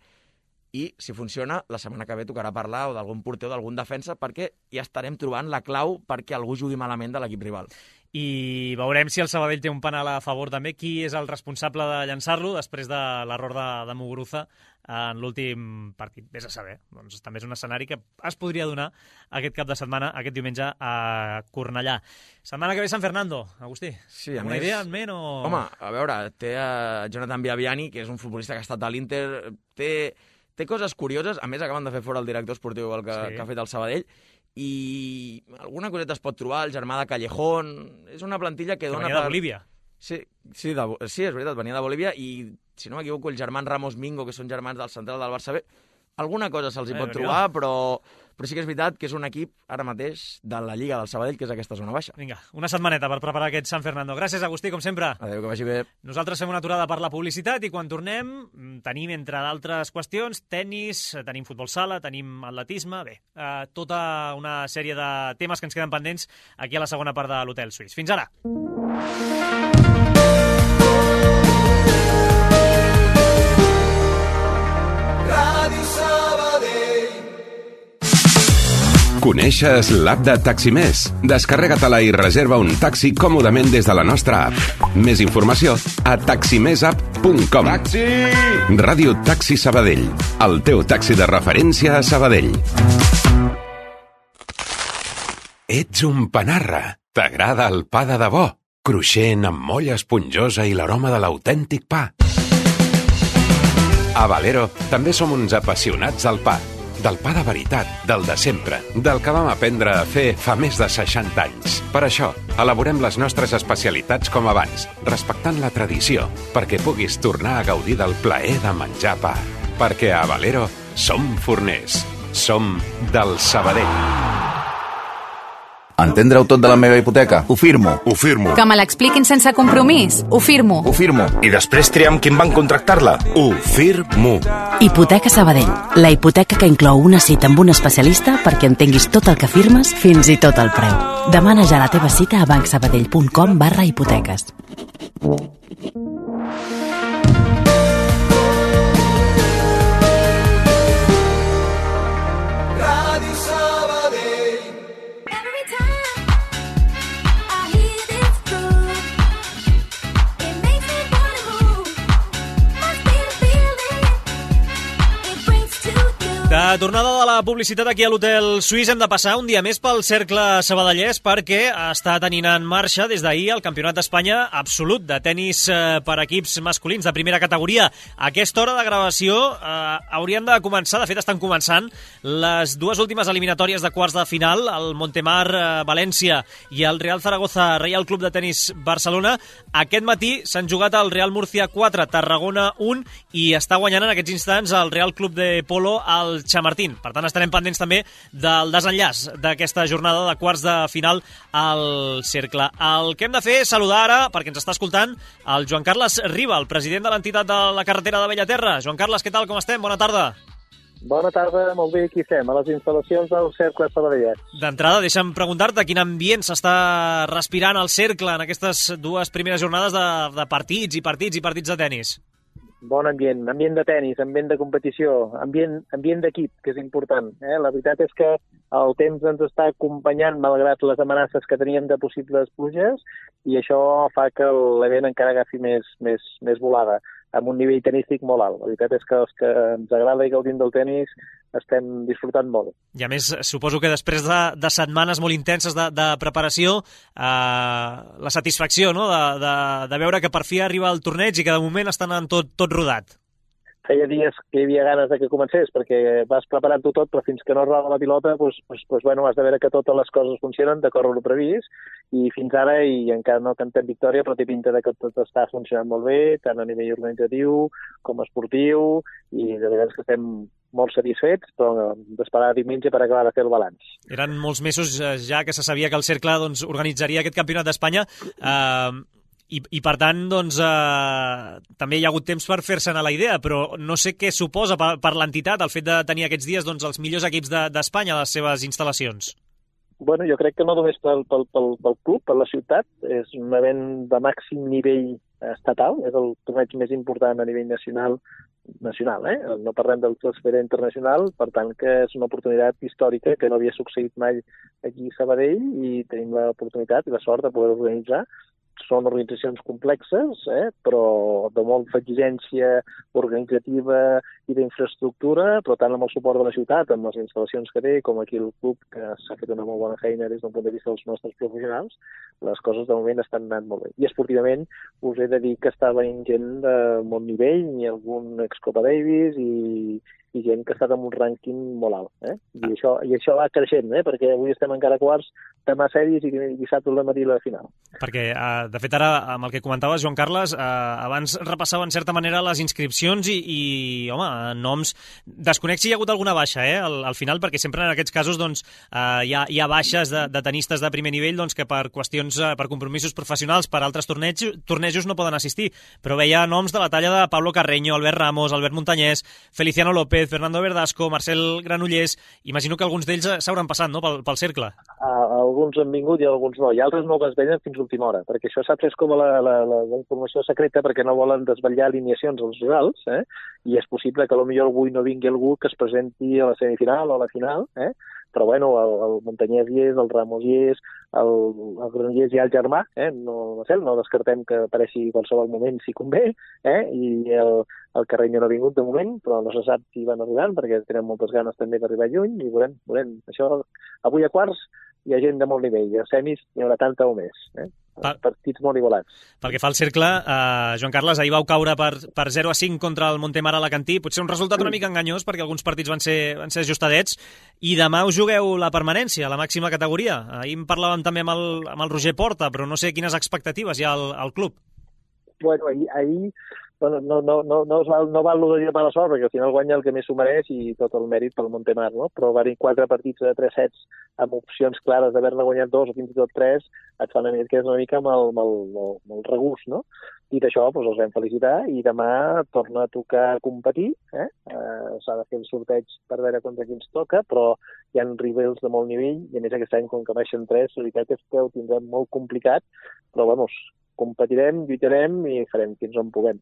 i si funciona, la setmana que ve tocarà parlar o d'algun porter o d'algun defensa, perquè ja estarem trobant la clau perquè algú jugui malament de l'equip rival. I veurem si el Sabadell té un penal a favor també. Qui és el responsable de llançar-lo després de l'error de Muguruza en l'últim partit? Vés a saber. Doncs també és un escenari que es podria donar aquest cap de setmana, aquest diumenge a Cornellà. Setmana que ve Sant Fernando, Agustí. Sí, una idea en ment o...? Home, a veure, té a Jonathan Viaviani, que és un futbolista que ha estat a l'Inter, té coses curioses. A més, acaben de fer fora el director esportiu que ha fet el Sabadell, i alguna coseta es pot trobar, el germà de Callejón, és una plantilla que dona... Venia de Bolívia. Sí, és veritat, venia de Bolívia, i si no m'equivoco, el germà Ramos Mingo, que són germans del central del Barça B, alguna cosa se'ls hi pot trobar, però sí que és veritat que és un equip, ara mateix, de la Lliga del Sabadell, que és aquesta zona baixa. Vinga, una setmaneta per preparar aquest Sant Fernando. Gràcies, Agustí, com sempre. Adéu, que vagi bé. Nosaltres fem una aturada per la publicitat i quan tornem tenim, entre d'altres qüestions, tennis, tenim futbol sala, tenim atletisme, tota una sèrie de temes que ens queden pendents aquí a la segona part de l'Hotel Suís. Fins ara! Coneixes l'app de Taximés? Descarrega-te-la i reserva un taxi còmodament des de la nostra app. Més informació a taximesapp.com. Taxi! Ràdio Taxi Sabadell, el teu taxi de referència a Sabadell. Ets un panarra. T'agrada el pa de debò? Cruixent, amb molla esponjosa i l'aroma de l'autèntic pa. A Valero també som uns apassionats del pa. Del pa de veritat, del de sempre, del que vam aprendre a fer fa més de 60 anys. Per això, elaborem les nostres especialitats com abans, respectant la tradició, perquè puguis tornar a gaudir del plaer de menjar pa. Perquè a Valero som forners, som del Sabadell. Entendre-ho tot de la meva hipoteca? Ho firmo. Ho firmo. Que me l'expliquin sense compromís? Ho firmo. Ho firmo. I després triam quin banc contractar-la? Ho firmo. Hipoteca Sabadell. La hipoteca que inclou una cita amb un especialista perquè entenguis tot el que firmes, fins i tot el preu. Demana ja la teva cita a bancsabadell.com/hipoteques. tornada de la publicitat aquí a l'Hotel Suís hem de passar un dia més pel Cercle Sabadellès perquè està tenint en marxa des d'ahir el Campionat d'Espanya absolut de tennis per equips masculins de primera categoria. A aquesta hora de gravació haurien de començar, de fet estan començant, les dues últimes eliminatòries de quarts de final, el Montemar València i el Real Zaragoza Reial Club de Tenis Barcelona. Aquest matí s'han jugat el Real Murcia 4, Tarragona 1 i està guanyant en aquests instants el Real Club de Polo al Chamartín. Per tant, estarem pendents també del desenllaç d'aquesta jornada de quarts de final al Cercle. El que hem de fer és saludar ara, perquè ens està escoltant, el Joan Carles Riba, el president de l'entitat de la carretera de Bellaterra. Joan Carles, què tal, com estem? Bona tarda. Bona tarda, molt bé, aquí estem, a les instal·lacions del Cercle Sabadellès. D'entrada, deixa'm preguntar-te quin ambient s'està respirant al Cercle en aquestes dues primeres jornades de partits de tennis. Bon ambient de tennis, ambient de competició, ambient d'equip, que és important. La veritat és que el temps ens està acompanyant malgrat les amenaces que teníem de possibles pluges i això fa que l'event encara agafi més volada, amb un nivell tenístic molt alt. La veritat és que els que ens agrada i gaudim del tenis estem disfrutant molt. I a més, suposo que després de setmanes molt intenses de preparació, la satisfacció, no?, de veure que per fi arriba el torneig i que de moment estan en tot rodat. Feia dies que hi havia ganes de que comencés, perquè vas preparant-ho tot, però fins que no roda la pilota, bueno, has de veure que totes les coses funcionen d'acord amb el previst, i fins ara, i encara no cantem victòria, però té pinta de que tot està funcionant molt bé, tant a nivell organitzatiu com esportiu, i de veritat que estem molt satisfets, però d'esperar diumenge per acabar de fer el balanç. Eren molts mesos ja que se sabia que el Cercle organitzaria aquest campionat d'Espanya, i per tant, doncs, també hi ha hagut temps per fer-se'n a la idea, però no sé què suposa per l'entitat el fet de tenir aquests dies els millors equips d'Espanya a les seves instal·lacions. Bueno, jo crec que no només pel club, per la ciutat, és un event de màxim nivell estatal, és el torneig més important a nivell nacional, no parlem de l'esfera internacional, per tant que és una oportunitat històrica que no havia succeït mai aquí a Sabadell i tenim l'oportunitat i la sort de poder organitzar. Són organitzacions complexes, però de molta exigència organitzativa i d'infraestructura, però tant amb el suport de la ciutat, amb les instal·lacions que té, com aquí el club, que s'ha fet una molt bona feina des d'un punt de vista dels nostres professionals, les coses de moment estan anant molt bé. I esportivament us he de dir que està venint gent de molt nivell, i algun ex-Copa Davis i gent que ha estat amb un rànquing molt alt. I això va creixent, perquè avui estem encara a quarts, demà sèries i dissabte al matí la final. Perquè, de fet, ara, amb el que comentaves, Joan Carles, abans repassava en certa manera les inscripcions i home, noms... Desconec si hi ha hagut alguna baixa, al final, perquè sempre en aquests casos doncs, hi ha baixes de tenistes de primer nivell doncs, que per qüestions, per compromisos professionals, per altres tornejos no poden assistir. Però veia noms de la talla de Pablo Carreño, Albert Ramos, Albert Montañés, Feliciano López, Fernando Verdasco, Marcel Granollers. Imagino que alguns d'ells s'hauran passat, no?, pel Cercle. Alguns han vingut i alguns no, i altres no es venen fins a última hora, perquè això saps és com la informació secreta, perquè no volen desvetllar alineacions als rivals, i és possible que potser avui no vingui algú que es presenti a la semifinal o a la final, però bueno, el Montañés hi és, el Ramos hi és, el Granollers hi ha el germà, no descartem que apareixi en qualsevol moment si convé, i el Carreño no ha vingut de moment, però no se sap si van arribant, perquè tenen moltes ganes també d'arribar lluny, i veurem. Això, avui a quarts hi ha gent de molt nivell, i a semis n'hi haurà tanta o més, partits molt igualats. Pel que fa al Cercle, Joan Carles, ahir vau caure per 0-5 contra el Montemar Alacantí, potser un resultat una mica enganyós, perquè alguns partits van ser ajustadets, i demà us jugueu la permanència, la màxima categoria. Ahir en parlàvem també amb el Roger Porta, però no sé quines expectatives hi ha al club. Bueno, ahir no val lo de dir mala sort, perquè al final guanya el que més s'ho mereix i tot el mèrit pel Montemar, no? Però va-hi 4 partits de 3 sets amb opcions clares d'haver-ne guanyat 2 o fins i tot 3, et fan una mica amb el regust, no? Dit això, doncs els vam felicitar i demà torna a tocar competir, s'ha de fer el sorteig per veure contra qui ens toca, però hi ha rivals de molt nivell i a més aquest any, com que baixen 3, la veritat és que ho tindrem molt complicat, però vamos, competirem, lluitarem i farem fins on puguem.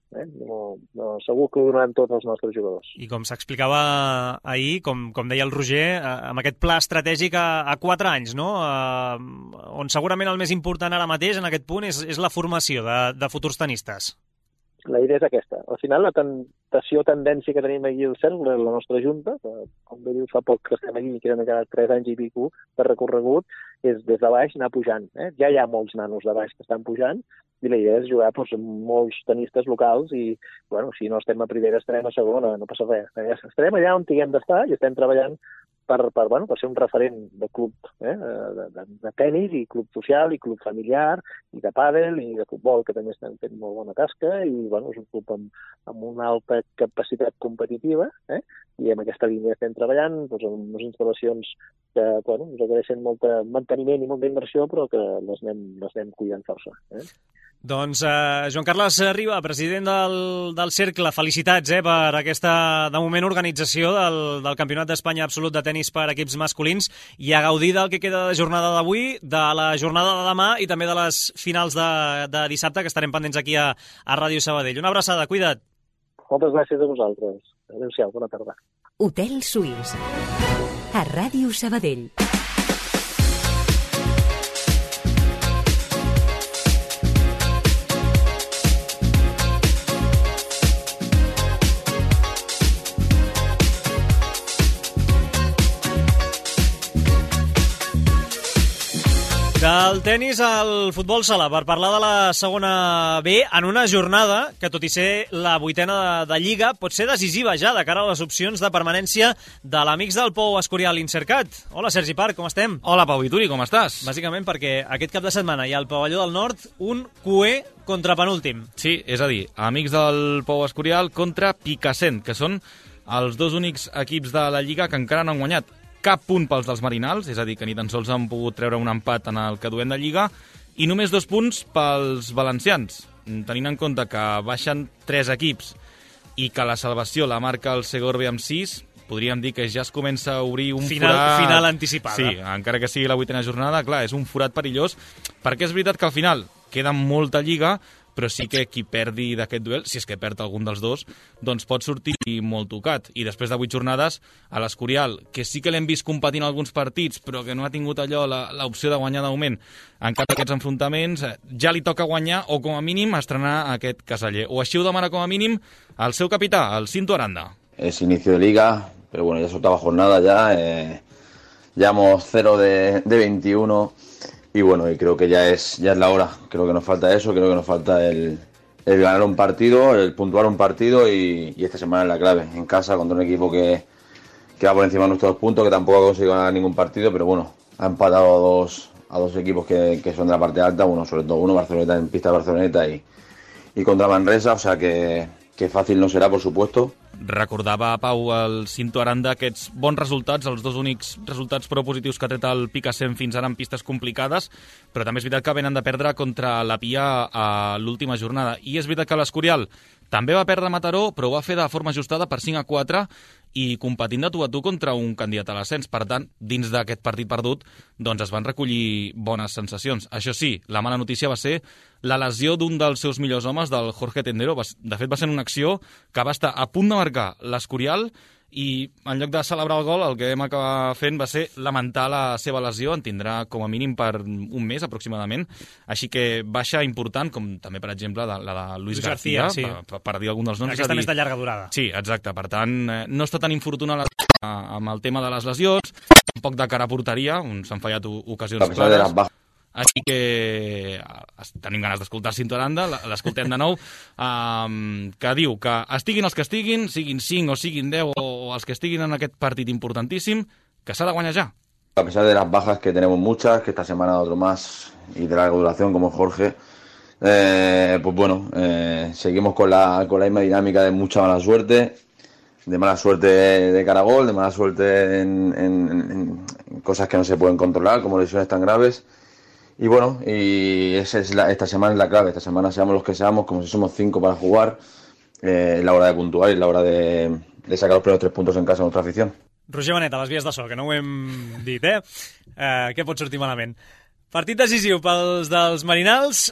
Segur que ho donaran tots els nostres jugadors. I com s'explicava ahir, com deia el Roger, amb aquest pla estratègic a 4 anys, no? On segurament el més important ara mateix, en aquest punt, és la formació de futurs tenistes. la idea és aquesta. Al final, la tendència que tenim aquí al cercle, la nostra junta, que, com bé dius, fa poc que estem aquí, que han quedat 3 anys i pico de recorregut, és des de baix anar pujant. Ja hi ha molts nanos de baix que estan pujant, i la idea és jugar amb molts tenistes locals i, bueno, si no estem a primera, estarem a segona, no passa res. Estarem allà on tinguem d'estar i estem treballant per ser un referent de club de tenis i club social i club familiar i de pàdel i de futbol, que també estan fent molt bona tasca i, bueno, és un club amb una alta capacitat competitiva i amb aquesta línia estem treballant amb unes instal·lacions que, bueno, ens requereixen molt manteniment i molta inversió, però que les anem cuidant força. Doncs Joan Carles Riba, president del Cercle, felicitats per aquesta, de moment, organització del Campionat d'Espanya Absolut de Tenis per equips masculins i a gaudir del que queda de jornada d'avui, de la jornada de demà i també de les finals de dissabte, que estarem pendents aquí a Ràdio Sabadell. Una abraçada, cuida't. Moltes gràcies a vosaltres. Adéu-siau, bona tarda. Hotel Suís, a Ràdio Sabadell. Del tenis al futbol sala, per parlar de la segona B, en una jornada que, tot i ser la 8a de Lliga, pot ser decisiva ja de cara a les opcions de permanència de l'Amics del Pou Escorial Insercat. Hola, Sergi Parc, com estem? Hola, Pau Vituri, com estàs? Bàsicament perquè aquest cap de setmana hi ha al Pavelló del Nord un QE contra penúltim. Sí, és a dir, Amics del Pou Escorial contra Picassent, que són els dos únics equips de la Lliga que encara no han guanyat cap punt pels dels Marinals, és a dir, que ni tan sols han pogut treure un empat en el que duem de Lliga, i només 2 punts pels valencians, tenint en compte que baixen 3 equips i que la salvació la marca el Segorbe amb 6, podríem dir que ja es comença a obrir un forat... Final anticipada. Sí, encara que sigui la 8a jornada, clar, és un forat perillós, perquè és veritat que al final queda molta Lliga, però sí que qui perdi d'aquest duel, si és que perd algun dels dos, doncs pot sortir molt tocat. I després de 8 jornades, a l'Escorial, que sí que l'hem vist competint alguns partits, però que no ha tingut allò l'opció de guanyar de moment en cap d'aquests enfrontaments, ja li toca guanyar o, com a mínim, estrenar aquest caseller. O així ho demana, com a mínim, el seu capità, el Cinto Aranda. Es inicio de Liga, pero bueno, ya es 8ª jornada ya, llevamos 0 de 21... Y bueno, y creo que ya es la hora. Creo que nos falta eso, creo que nos falta el ganar un partido, el puntuar un partido y esta semana es la clave. En casa contra un equipo que va por encima de nuestros puntos, que tampoco ha conseguido ganar ningún partido, pero bueno, ha empatado a dos equipos que son de la parte alta, bueno, sobre todo uno Barceloneta en pista de Barceloneta y contra Manresa, o sea que fàcil no serà, por supuesto. Recordava, Pau, el Cinto Aranda, aquests bons resultats, els dos únics resultats propositius que ha tret el Picassent fins ara en pistes complicades, però també és veritat que venen de perdre contra la Pia a l'última jornada. I és veritat que l'Escorial també va perdre a Mataró, però ho va fer de forma ajustada per 5-4 i competint de tu a tu contra un candidat a l'ascens. Per tant, dins d'aquest partit perdut, doncs es van recollir bones sensacions. Això sí, la mala notícia va ser la lesió d'un dels seus millors homes, del Jorge Tendero. De fet, va ser una acció que va estar a punt de marcar l'Escorial i en lloc de celebrar el gol, el que vam acabar fent va ser lamentar la seva lesió. En tindrà com a mínim per un mes aproximadament, així que baixa important, com també per exemple la de Luis García, sí. per dir algun dels noms. Aquesta més de llarga durada. Sí, exacte, per tant no està tan infortunat amb el tema de les lesions, un poc de cara a porteria, se'han fallat ocasions clares. Així que tenim ganes d'escoltar Cinto Aranda, l'escoltem de nou, que diu que estiguin els que estiguin, siguin 5 o siguin 10 o els que estiguin en aquest partit importantíssim, que s'ha de guanyar ja. A pesar de las bajas que tenemos muchas, que esta semana otro más y de larga duración como Jorge, pues bueno, seguimos con la misma dinámica de mucha mala suerte, de cara a gol, de mala suerte en cosas que no se pueden controlar, como lesiones tan graves. Y bueno, y esta semana es la clave. Esta semana seamos los que seamos, como si somos 5 para jugar, es la hora de puntuar y es la hora de sacar los primeros 3 puntos en casa de nuestra afición. Roger Benet, a les vies de so, que no ho hem dit, què pot sortir malament? Partit decisiu pels dels Marinals,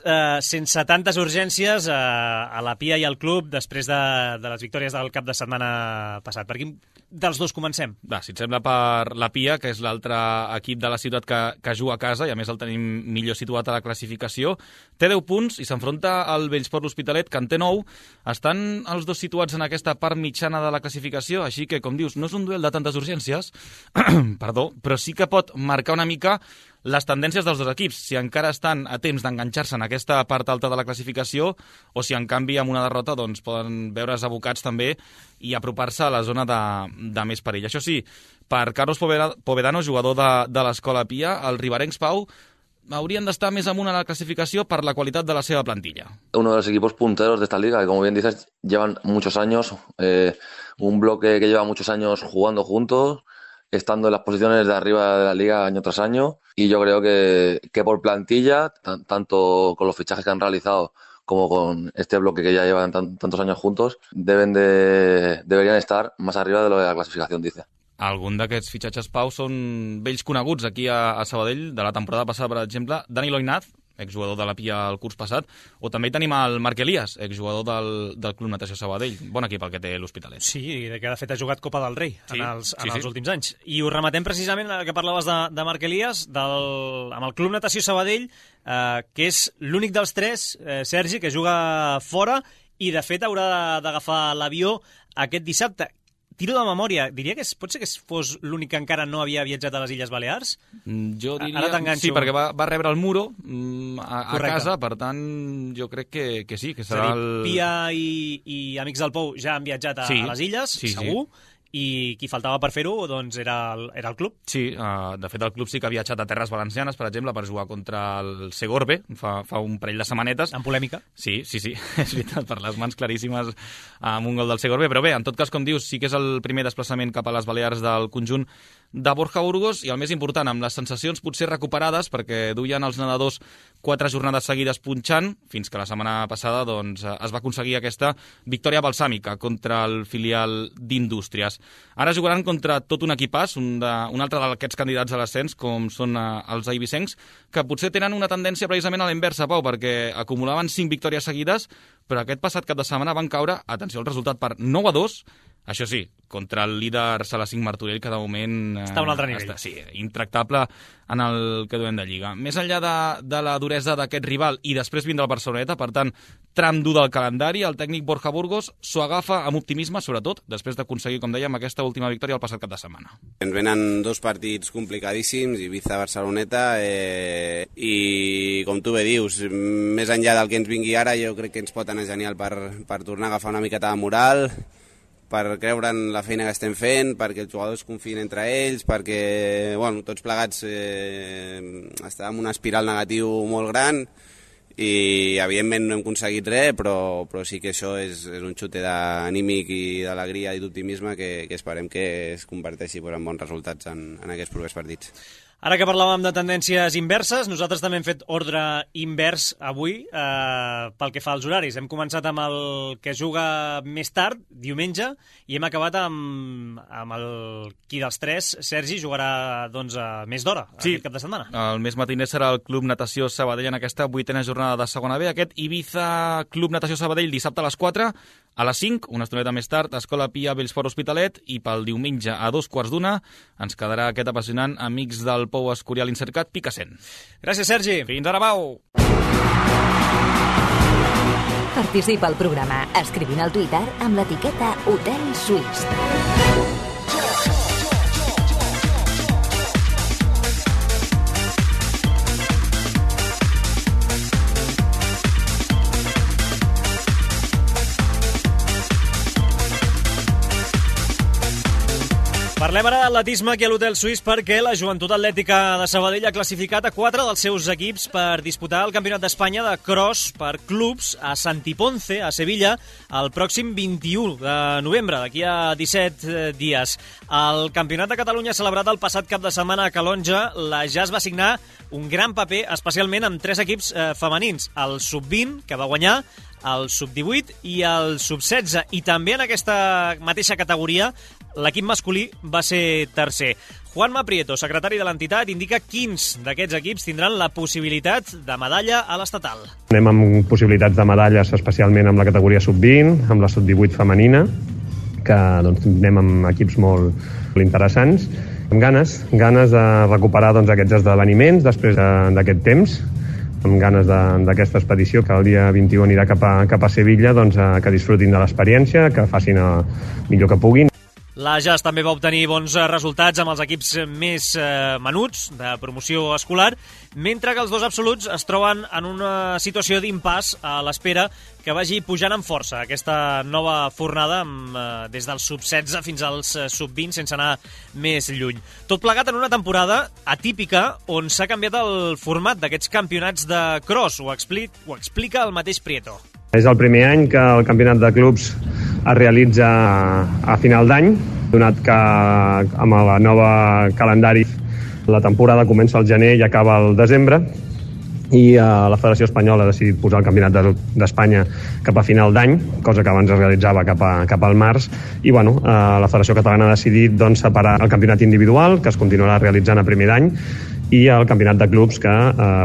sense tantes urgències a la Pia i al club després de les victòries del cap de setmana passat. Per quin dels dos comencem? Va, si et sembla, per la Pia, que és l'altre equip de la ciutat que juga a casa, i a més el tenim millor situat a la classificació. Té 10 punts i s'enfronta al Bellsport l'Hospitalet, que en té 9. Estan els dos situats en aquesta part mitjana de la classificació, així que, com dius, no és un duel de tantes urgències, perdó, però sí que pot marcar una mica les tendències dels dos equips, si encara estan a temps d'enganxar-se en aquesta part alta de la classificació o si en canvi amb una derrota doncs, poden veure's abocats també i apropar-se a la zona de més perill. Això sí, per Carlos Povedano, jugador de l'Escola Pia, els riberencs, Pau, haurien d'estar més amunt a la clasificació per la qualitat de la seva plantilla. Uno de los equipos punteros de esta liga, que como bien dices, llevan muchos años, un bloque que lleva muchos años jugando juntos, estando en las posiciones de arriba de la liga año tras año, y yo creo que por plantilla, tanto con los fichajes que han realizado como con este bloque que ya llevan tantos años juntos, deberían estar más arriba de lo de la clasificación, dice. Algun d'aquests fitxatges, Pau, són vells coneguts aquí a Sabadell, de la temporada passada, per exemple, Dani Loinaz, exjugador de la Pia el curs passat, o també hi tenim el Marc Elias, exjugador del Club Natació Sabadell. Bon equip el que té l'Hospitalet. Sí, que de fet ha jugat Copa del Rei en els últims anys. I ho rematem precisament, que parlaves de Marc Elias, amb el Club Natació Sabadell, que és l'únic dels tres, Sergi, que juga fora i de fet haurà d'agafar l'avió aquest dissabte. Tiro de memòria, diria que pot ser que fos l'únic que encara no havia viatjat a les Illes Balears? Jo diria... Sí, perquè va rebre el Muro a casa, per tant, jo crec que sí, que serà el... Pia i Amics del Pou ja han viatjat a les Illes, segur, i qui faltava per fer-ho doncs era el club. Sí, de fet el club sí que ha viatjat a Terres Valencianes, per exemple, per jugar contra el Segorbe fa un parell de setmanetes. En polèmica. Sí, és veritat, per les mans claríssimes amb un gol del Segorbe, però bé, en tot cas, com dius, sí que és el primer desplaçament cap a les Balears del conjunt de Borja Burgos, i el més important, amb les sensacions potser recuperades, perquè duien els nedadors 4 jornades seguides punxant, fins que la setmana passada doncs, es va aconseguir aquesta victòria balsàmica contra el filial d'Indústries. Ara jugaran contra tot un equipàs, un altre d'aquests candidats a l'ascens, com són els eivissencs, que potser tenen una tendència precisament a la inversa, Pau, perquè acumulaven 5 victòries seguides, però aquest passat cap de setmana van caure, atenció al resultat, per 9-2, això sí, contra el líder Salacín Martorell, que de moment... Està a un altre nivell. Sí, intractable en el que duem de Lliga. Més enllà de la duresa d'aquest rival i després vindrà el Barceloneta, per tant, tram dur del calendari, el tècnic Borja Burgos s'ho agafa amb optimisme, sobretot, després d'aconseguir, com dèiem, aquesta última victòria el passat cap de setmana. Ens venen 2 partits complicadíssims, Ibiza-Barceloneta, i com tu bé dius, més enllà del que ens vingui ara, jo crec que ens pot anar genial per tornar a agafar una miqueta de moral, per creure en la feina que estem fent, perquè els jugadors confien entre ells, perquè tots plegats estàvem en una espiral negatiu molt gran i evidentment no hem aconseguit res, però sí que això és un xute d'anímic i d'alegria i d'optimisme que esperem que es converteixi en bons resultats en aquests propers partits. Ara que parlàvem de tendències inverses, nosaltres també hem fet ordre invers avui pel que fa als horaris. Hem començat amb el que juga més tard, diumenge, i hem acabat amb el qui dels tres, Sergi, jugarà més d'hora aquest cap de setmana. El més matiner serà el Club Natació Sabadell en aquesta 8a jornada de segona B. Aquest Ibiza Club Natació Sabadell dissabte a les 4, a les 5, una estoneta més tard, Escola Pia Bellsport Hospitalet, i pel diumenge a 2:15 ens quedarà aquest apassionant Amics del Pou Escorial Incercat Picassent. Gràcies, Sergi. Fins ara, Pau. Participa al programa escrivint al Twitter amb l'etiqueta Hotel Suís. Parlem ara d'atletisme aquí a l'Hotel Suís perquè la Joventut Atlètica de Sabadell ha classificat a 4 dels seus equips per disputar el Campionat d'Espanya de cross per clubs a Santiponce, a Sevilla, el pròxim 21 de novembre, d'aquí a 17 dies. El Campionat de Catalunya celebrat el passat cap de setmana a Calonja, la JAS va signar un gran paper, especialment amb 3 equips femenins. El Sub-20, que va guanyar, el sub-18 i el sub-16. I també en aquesta mateixa categoria l'equip masculí va ser tercer. Juanma Prieto, secretari de l'entitat, indica quins d'aquests equips tindran la possibilitat de medalla a l'estatal. Anem amb possibilitats de medalles, especialment amb la categoria sub-20, amb la sub-18 femenina, que doncs, anem amb equips molt interessants, amb ganes de recuperar doncs, aquests esdeveniments després d'aquest temps, amb ganes d'aquesta expedició que el dia 21 anirà cap a Sevilla, doncs, que disfrutin de l'experiència, que facin el millor que puguin. L'Ajas també va obtenir bons resultats amb els equips més menuts de promoció escolar, mentre que els dos absoluts es troben en una situació d'impàs a l'espera que vagi pujant amb força aquesta nova fornada des dels sub-16 fins als sub-20 sense anar més lluny. Tot plegat en una temporada atípica on s'ha canviat el format d'aquests campionats de cross. Ho explica el mateix Prieto. És el primer any que el campionat de clubs es realitza a final d'any, donat que amb el nou calendari la temporada comença al gener i acaba al desembre, i la Federació Espanyola ha decidit posar el Campionat d'Espanya cap a final d'any, cosa que abans es realitzava cap al març, i la Federació Catalana ha decidit doncs, separar el campionat individual, que es continuarà realitzant a primer d'any, i el campionat de clubs que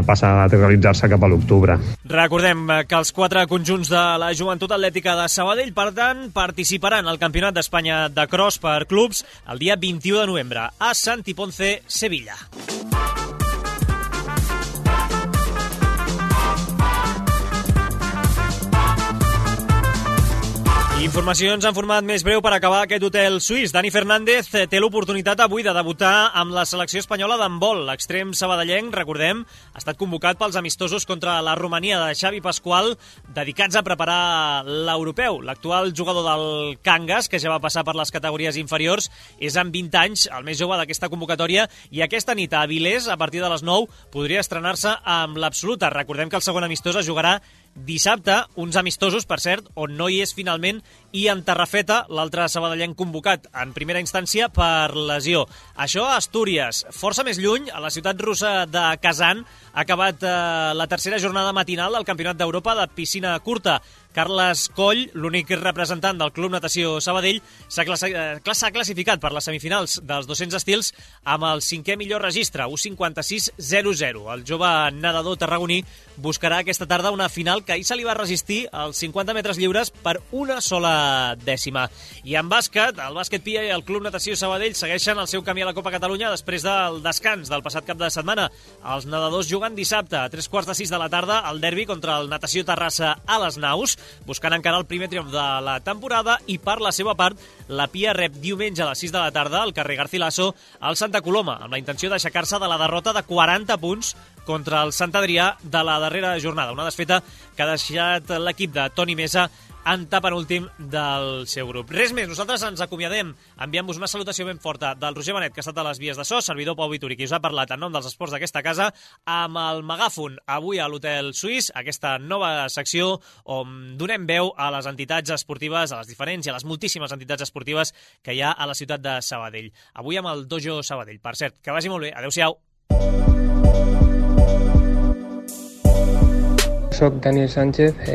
passa a realitzar-se cap a l'octubre. Recordem que els 4 conjunts de la Joventut Atlètica de Sabadell, per tant, participaran al Campionat d'Espanya de Cross per clubs el dia 21 de novembre a Santi Ponce, Sevilla. Informacions en format més breu per acabar aquest hotel suís. Dani Fernández té l'oportunitat avui de debutar amb la selecció espanyola d'handbol. L'extrem sabadellenc, recordem, ha estat convocat pels amistosos contra la Romania de Xavi Pasqual, dedicats a preparar l'europeu. L'actual jugador del Cangas, que ja va passar per les categories inferiors, és amb 20 anys, el més jove d'aquesta convocatòria, i aquesta nit a Avilés, a partir de les 9, podria estrenar-se amb l'absoluta. Recordem que el segon amistós es jugarà dissabte, uns amistosos, per cert, on no hi és finalment Ian Tarrafeta, l'altre sabadellenc convocat en primera instància per lesió. Això a Astúries. Força més lluny, a la ciutat russa de Kazan, ha acabat la tercera jornada matinal del Campionat d'Europa de piscina curta. Carles Coll, l'únic representant del Club Natació Sabadell, s'ha classificat per les semifinals dels 200 estils amb el 5è millor registre, 1.56.00. El jove nedador tarragoní buscarà aquesta tarda una final que ahir se li va resistir als 50 metres lliures per una sola dècima. I en bàsquet, el bàsquet Pia i el Club Natació Sabadell segueixen el seu camí a la Copa Catalunya després del descans del passat cap de setmana. Els nedadors juguen dissabte a 3:45 de la tarda al derbi contra el Natació Terrassa a les Naus, buscant encara el primer triomf de la temporada, i per la seva part, la Pia rep diumenge a les 6 de la tarda al carrer Garcilaso al Santa Coloma, amb la intenció d'aixecar-se de la derrota de 40 punts contra el Sant Adrià de la darrera jornada. Una desfeta que ha deixat l'equip de Toni Mesa en penúltim del seu grup. Res més, nosaltres ens acomiadem enviant-vos una salutació ben forta del Roger Benet, que ha estat a les vies de so, servidor Pau Vituri, qui us ha parlat en nom dels esports d'aquesta casa, amb el megàfon avui a l'Hotel Suís, aquesta nova secció on donem veu a les entitats esportives, a les diferents i a les moltíssimes entitats esportives que hi ha a la ciutat de Sabadell. Avui amb el Dojo Sabadell. Per cert, que vagi molt bé. Adéu-siau. Soc Daniel Sánchez,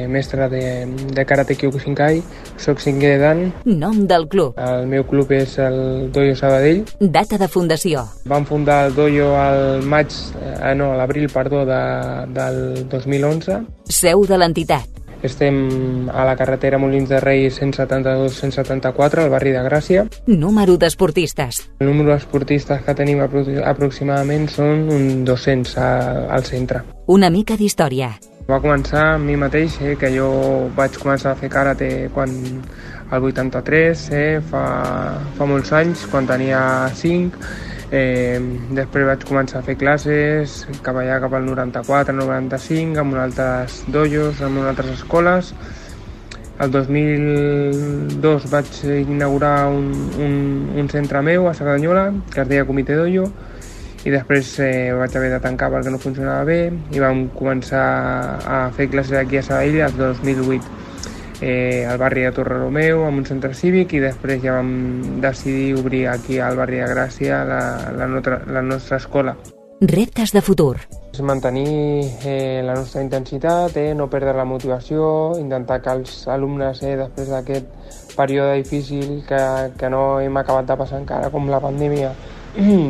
mestre de Karate Kyokushinkai, soc 5è dan. Nom del club. El meu club és el Dojo Sabadell. Data de fundació. Vam fundar el dojo al l'abril, del 2011. Seu de l'entitat. Estem a la carretera Molins de Rei 172-174, al barri de Gràcia. Número d'esportistes. El número d'esportistes que tenim aproximadament són uns 200 al centre. Una mica d'història. Va començar amb mi mateix, que jo vaig començar a fer karate al 83, fa molts anys, quan tenia 5. Després vaig començar a fer classes cap allà, cap al 94, 95, amb altres dojos, amb altres escoles. El 2002 vaig inaugurar un centre meu a Cerdanyola, que es deia Comitè Dojo, i després vaig haver de tancar perquè no funcionava bé, i vam començar a fer classes aquí a Sabadell el 2008. Al barri de Torre Romeu, amb un centre cívic, i després ja vam decidir obrir aquí al barri de Gràcia la nostra escola. Reptes de futur. Mantenir la nostra intensitat, no perdre la motivació, intentar que els alumnes, després d'aquest període difícil que no hem acabat de passar encara, com la pandèmia,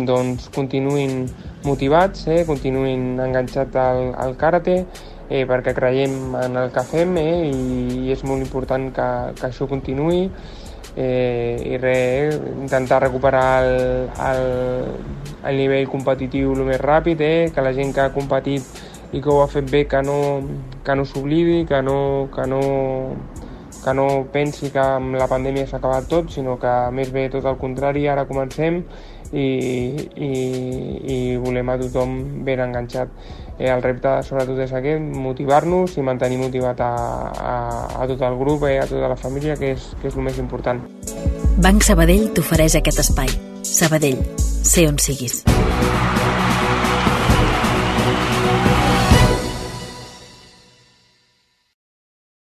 doncs continuïn motivats, continuïn enganxats al karate, perquè creiem en el que fem i és molt important que això continuï. I intentar recuperar el nivell competitiu el més ràpid, que la gent que ha competit i que ho ha fet bé que no s'oblidi, que no pensi que amb la pandèmia s'ha acabat tot, sinó que més bé tot el contrari, ara comencem i volem a tothom ben enganxat. El repte sobretot és aquest, motivar-nos i mantenir motivat a tot el grup, a tota la família, que és el més important. Banc Sabadell t'ofereix aquest espai. Sabadell, sé on siguis.